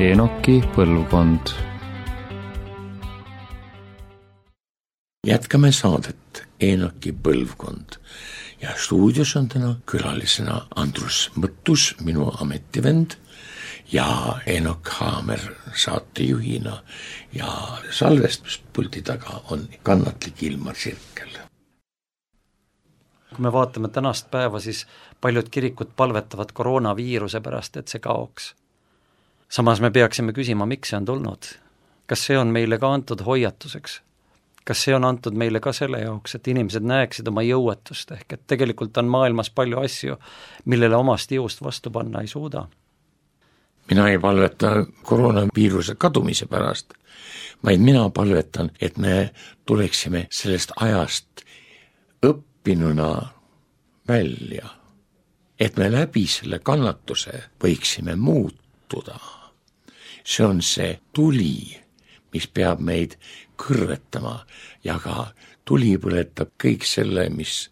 Enoki põlvkond. Jätkame saadet Enoki põlvkond ja stuudios on täna külalisena Andrus Mõttus, minu ametivend, ja Enok Haamer saatejuhina ja salvestuspulti taga on kannatlik Ilmar Sirkel. Kui me vaatame tänast päeva, siis paljud kirikud palvetavad koroonaviiruse pärast, et see kaoks. Samas me peaksime küsima, miks see on tulnud. Kas see on meile ka antud hoiatuseks? Kas see on antud meile ka selle jaoks, et inimesed näeksid oma jõuetust, ehk et tegelikult on maailmas palju asju, millele omast jõust vastu panna ei suuda? Mina ei palveta koroonaviiruse kadumise pärast, vaid mina palvetan, et me tuleksime sellest ajast õppinuna välja, et me läbi selle kannatuse võiksime muutuda. See on see tuli, mis peab meid kõrvetama, ja ka tuli põletab kõik selle, mis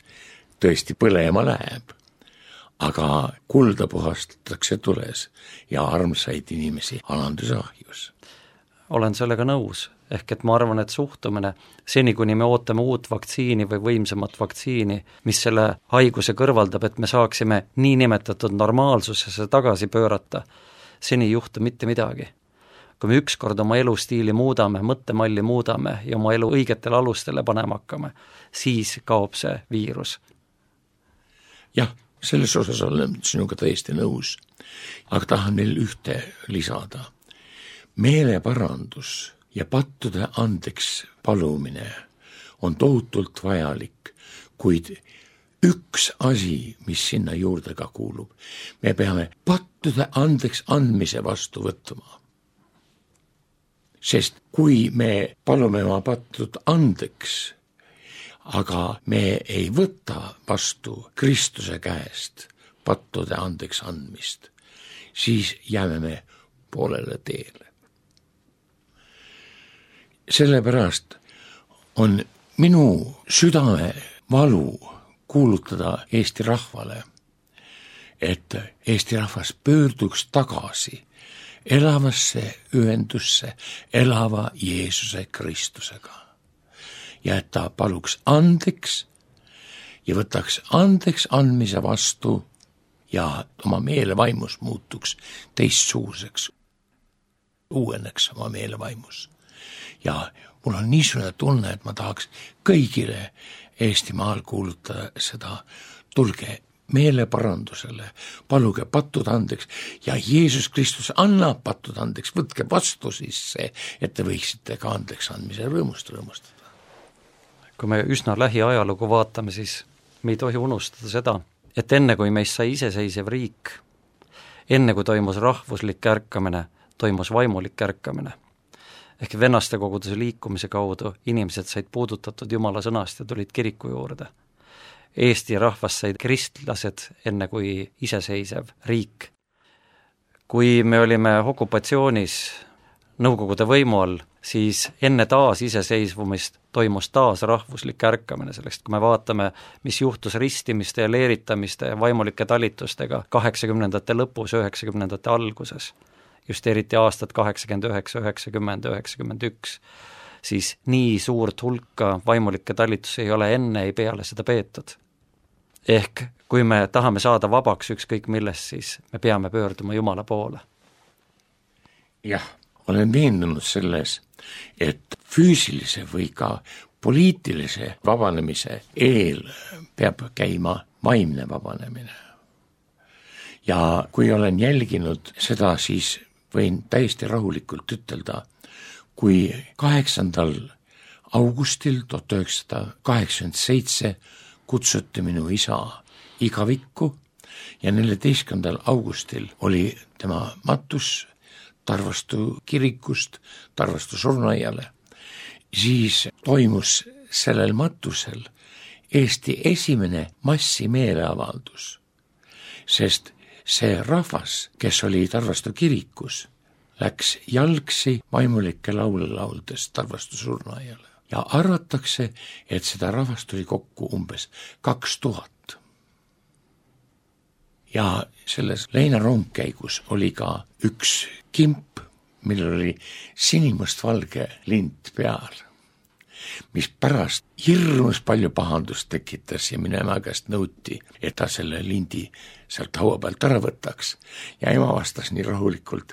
tõesti põlema läheb. aga kulda puhastatakse tules ja armsaid inimesi alanduse ahjus. Olen sellega nõus, ehk et ma arvan, et suhtumine seni, kuni me ootame uut vaktsiini või võimsamat vaktsiini, mis selle haiguse kõrvaldab, et me saaksime niinimetatud normaalsusesse tagasi pöörata, seni ei juhtu mitte midagi. Kui me ükskord oma elustiili muudame, mõttemalli muudame ja oma elu õigetele alustele panema hakkame, siis kaob see viirus. Jah, selles osas olen sinuga täiesti nõus, aga tahan veel ühte lisada. Meeleparandus ja pattude andeks palumine on tohutult vajalik, kuid üks asi, mis sinna juurde ka kuulub, me peame pattude andeks andmise vastu võtma. Sest kui me palume oma pattud andeks, aga me ei võta vastu Kristuse käest pattude andeks andmist, siis jääme me poolele teele. Sellepärast on minu südame valu kuulutada Eesti rahvale, et Eesti rahvas pöörduks tagasi elavasse ühendusse elava Jeesuse Kristusega ja et ta paluks andeks ja võtaks andeks andmise vastu ja oma meelevaimus muutuks teistsuguseks, uueneks oma meelevaimus. Ja mul on niisugune tunne, et ma tahaks kõigile Eestimaal kuulutada seda, tulge meeleparandusele, paluge pattud andeks ja Jeesus Kristus annab pattud andeks, võtke vastu siis see, et te võiksite ka andeks andmise rõõmust rõõmustada. Kui me üsna lähiajalugu vaatame, siis me ei tohi unustada seda, et enne kui meist sai iseseisev riik, enne kui toimus rahvuslik ärkamine, toimus vaimulik ärkamine. Ehk vennaste koguduse liikumise kaudu inimesed said puudutatud Jumala sõnast ja tulid kiriku juurde. Eesti rahvas said kristlased enne kui iseseisev riik. Kui me olime okupatsioonis Nõukogude võimu all, siis enne taas iseseisvumist toimus taas rahvuslik ärkamine sellest, kui me vaatame, mis juhtus ristimiste ja leeritamiste ja vaimulike talitustega kaheksakümnendate lõpus, üheksakümnendate alguses, just eriti aastat kaheksakümmend üheksa, üheksakümmend, üheksakümmend üks, siis nii suurt hulka vaimulikke talitusi ei ole enne ei peale seda peetud. Ehk kui me tahame saada vabaks ükskõik millest, siis me peame pöörduma Jumala poole. Jah, olen veendunud selles, et füüsilise või ka poliitilise vabanemise eel peab käima vaimne vabanemine. Ja kui olen jälginud seda, siis võin täiesti rahulikult ütelda, kui kaheksandal augustil tuhat üheksasada kaheksakümmend seitse kutsuti minu isa igavikku ja neljateistkümnendal augustil oli tema matus Tarvastu kirikust Tarvastu surnuaiale, siis toimus sellel matusel Eesti esimene massimeeleavaldus, sest see rahvas, kes oli Tarvastu kirikus, läks jalgsi vaimulike laule lauldes Tarvastu surnuaiale ja arvatakse, et seda rahvast tuli kokku umbes kaks tuhat. Ja selles leinarongkäigus oli ka üks kimp, millel oli sinimustvalge lint peal, mis pärast hirmus palju pahandust tekitas ja minu ema käest nõuti, et ta selle lindi sealt haua pealt ära võtaks. Ja ema vastas nii rahulikult,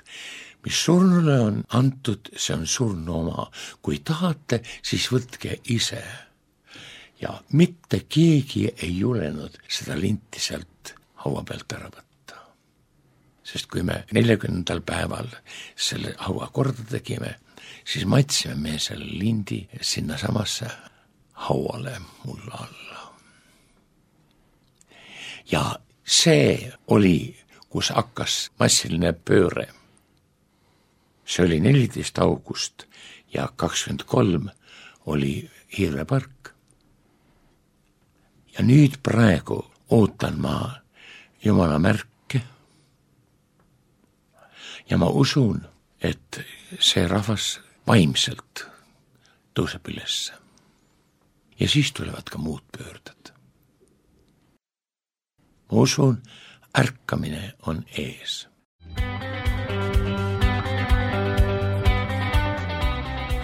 mis surnule on antud, see on surnu oma. Kui tahate, siis võtke ise. Ja mitte keegi ei julenud seda linti sealt haua pealt ära võtta. Sest kui me neljakümnendal päeval selle haua korda tegime, siis maitsime me selle lindi sinna samasse hauale mulla alla. Ja see oli, kus hakkas massiline pööre. See oli neliteist august ja kakskümmend kolm oli Hirvepark. Ja nüüd praegu ootan ma Jumala märke ja ma usun, et see rahvas vaimselt tõuseb ülesse. Ja siis tulevad ka muud pöörded. Ma usun, ärkamine on ees.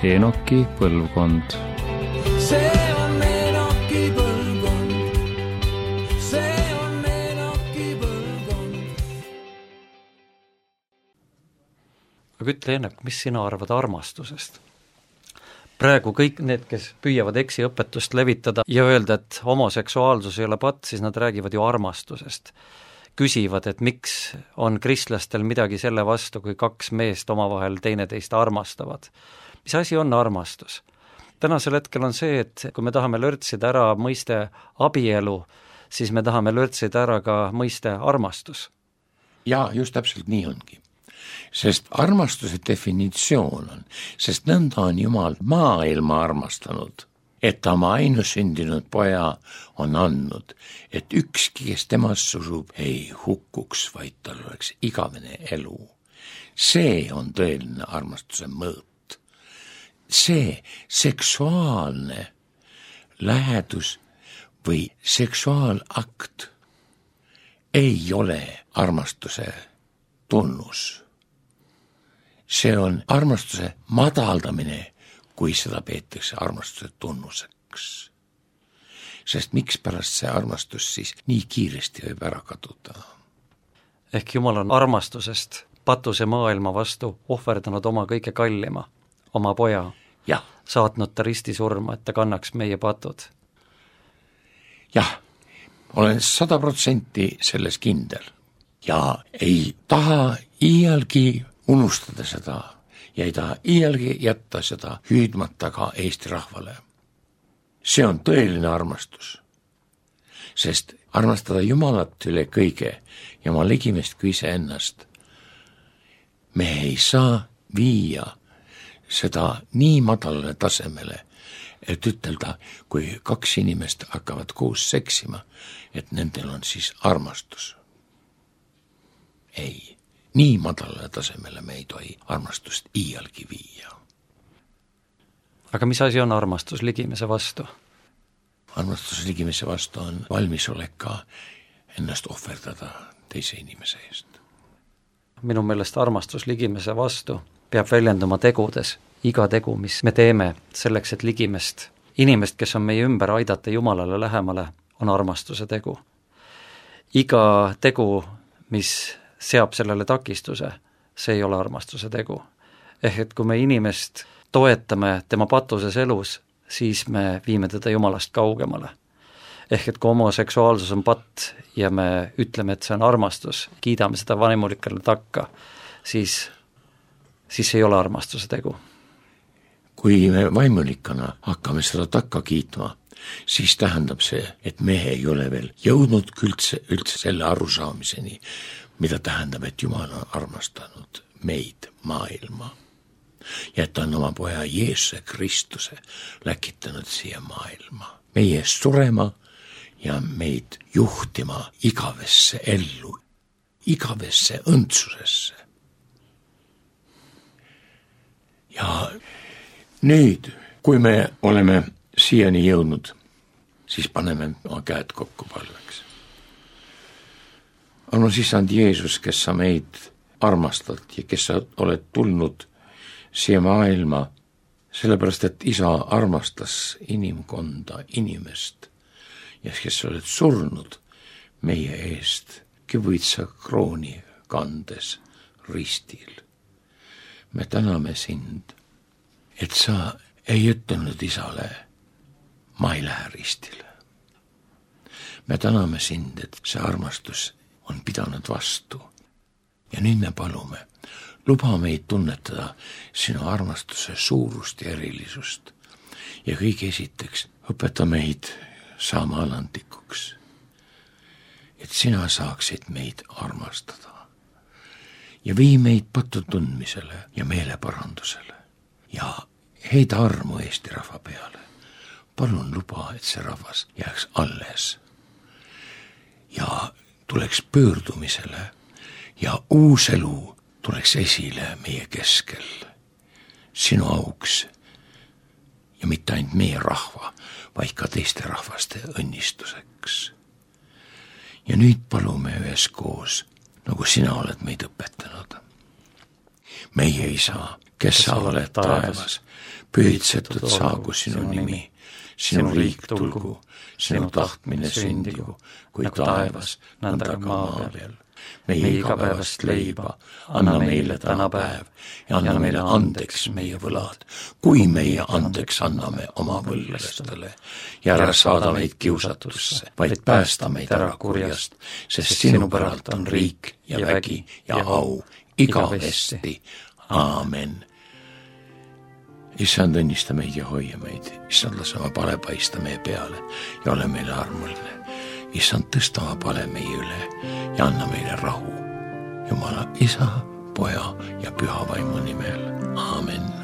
Enoki põlvkond. see on Enoki põlvkond, see on Enoki põlvkond. Aga ütle, Enok, mis sina arvad armastusest? Praegu kõik need, kes püüavad eksiõpetust levitada ja öelda, et homoseksuaalsus ei ole patt, siis nad räägivad ju armastusest. Küsivad, et miks on kristlastel midagi selle vastu, kui kaks meest omavahel teineteist armastavad. Mis asi on armastus? Tänasel hetkel on see, et kui me tahame lörtsida ära mõiste abielu, siis me tahame lörtsida ära ka mõiste armastus. Ja just täpselt nii ongi. Sest armastuse definitsioon on, sest nõnda on Jumal maailma armastanud, et ta oma ainusündinud poja on andnud, et ükski, kes temast usub, ei hukkuks, vaid tal oleks igavene elu. See on tõeline armastuse mõõt. See seksuaalne lähedus või seksuaalakt ei ole armastuse tunnus. See on armastuse madaldamine, kui seda peetakse armastuse tunnuseks. Sest miks pärast see armastus siis nii kiiresti võib ära kaduda? Ehk Jumal on armastusest patuse maailma vastu ohverdanud oma kõige kallima, oma poja, jah. Saatnud ta risti surma, et ta kannaks meie patud. Jah, olen sada protsenti selles kindel ja ei taha iialgi unustada seda ja ei taha iialgi jätta seda hüüdmata ka Eesti rahvale. See on tõeline armastus, sest armastada Jumalat üle kõige ja oma ligimest kui ise ennast. Me ei saa viia seda nii madalale tasemele, et ütelda, kui kaks inimest hakkavad koos seksima, et nendel on siis armastus. Ei. Nii madalale tasemele me ei tohi armastust iialgi viia. Aga mis asi on armastus ligimese vastu? Armastus ligimese vastu on valmisolek ka ennast ohverdada teise inimese eest. Minu meelest armastus ligimese vastu peab väljenduma tegudes. Iga tegu, mis me teeme selleks, et ligimest, inimest, kes on meie ümber, aidata Jumalale lähemale, on armastuse tegu. Iga tegu, mis seab sellele takistuse, see ei ole armastuse tegu. Ehk et kui me inimest toetame tema patuses elus, siis me viime teda Jumalast kaugemale. Ehk et kui homoseksuaalsus on patt ja me ütleme, et see on armastus, kiidame seda vaimulikele takka, siis, siis ei ole armastuse tegu. Kui me vaimulikana hakkame seda takka kiitma, siis tähendab see, et me ei ole veel jõudnud üldse, üldse selle arusaamiseni, mida tähendab, et Jumal on armastanud meid, maailma. Ja et ta on oma poja Jeesuse Kristuse läkitanud siia maailma. Meie surema ja meid juhtima igavesse ellu, igavesse õndsusesse. Ja nüüd, kui me oleme siiani jõudnud, siis paneme oma käed kokku palveks. Armas Isand Jeesus, kes sa meid armastad ja kes sa oled tulnud siia maailma, sellepärast, et isa armastas inimkonda, inimest ja kes sa oled surnud meie eest kivitsa krooni kandes ristil. Me täname sind, et sa ei ütelnud isale, ma ei lähe ristile. Me täname sind, et see armastus on pidanud vastu. Ja nüüd me palume, luba meid tunnetada sinu armastuse suurust ja erilisust. Ja kõige esiteks õpeta meid saama alandlikuks, et sina saaksid meid armastada. Ja vii meid patu tundmisele ja meeleparandusele. Ja heida armu Eesti rahva peale. Palun luba, et see rahvas jääks alles. Ja tuleks pöördumisele ja uus elu tuleks esile meie keskel. Sinu auks ja mitte ainult meie rahva, vaid ka teiste rahvaste õnnistuseks. ja nüüd palume üheskoos, nagu sina oled meid õpetanud. Meie Isa, kes sa oled taevas, pühitsetud saagu sinu nimi, sinu riik tulgu, sinu tahtmine sündigu, kui taevas, nõnda ka maa peal. Meie igapäevast leiba, anna meile täna päev ja anna meile andeks meie võlad, kui meie andeks anname oma võlglastele. Ja ära saada meid kiusatusse, vaid päästa meid ära kurjast, sest sinu päralt on riik ja vägi ja au igavesti. Aamen. Issand, õnnista meid ja hoia meid. Issand, lase oma pale paista meie peale ja ole meile armuline. Issand, tõsta oma pale meie üle ja anna meile rahu. Jumala Isa, Poja ja Püha Vaimu nimel. Aamen.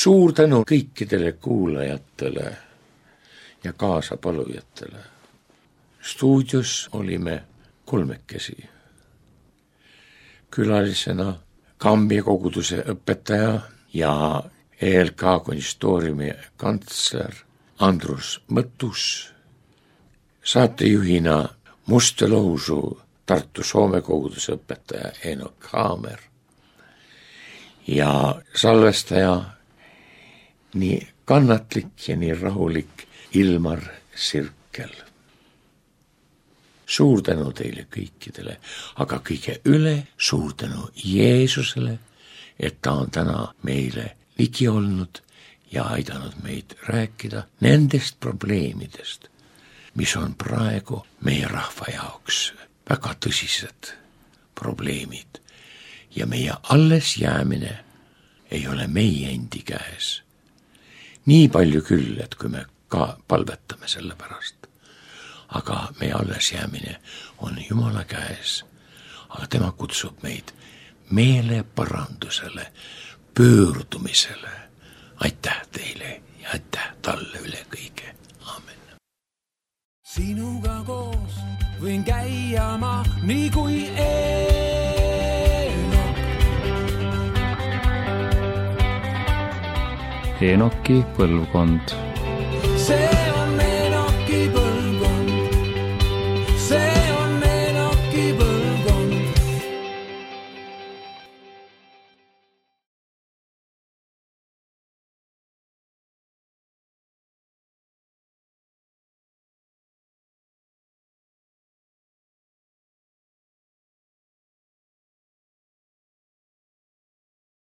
Suur tänu kõikidele kuulajatele ja kaasapalujatele. Stuudios olime kolmekesi. Külalisena Kambja koguduse õpetaja ja E L K konsistooriumi kantsler Andrus Mõttus, saatejuhina Mustelousu Tartu Soome koguduse õpetaja Eenok Haamer ja salvestaja nii kannatlik ja nii rahulik Ilmar Sirkel. Suur tänu teile kõikidele, aga kõige üle suur tänu Jeesusele, et ta on täna meile ligi olnud ja aidanud meid rääkida nendest probleemidest, mis on praegu meie rahva jaoks väga tõsised probleemid ja meie alles jäämine ei ole meie endi käes. Nii palju küll, et kui me ka palvetame selle pärast, aga meie alles jäämine on Jumala käes, aga tema kutsub meid meeleparandusele, pöördumisele. Aitäh teile ja aitäh talle üle kõige. Aamen. Sinuga koos võin käia ma nii kui Eenok. Eenoki põlvkond. see on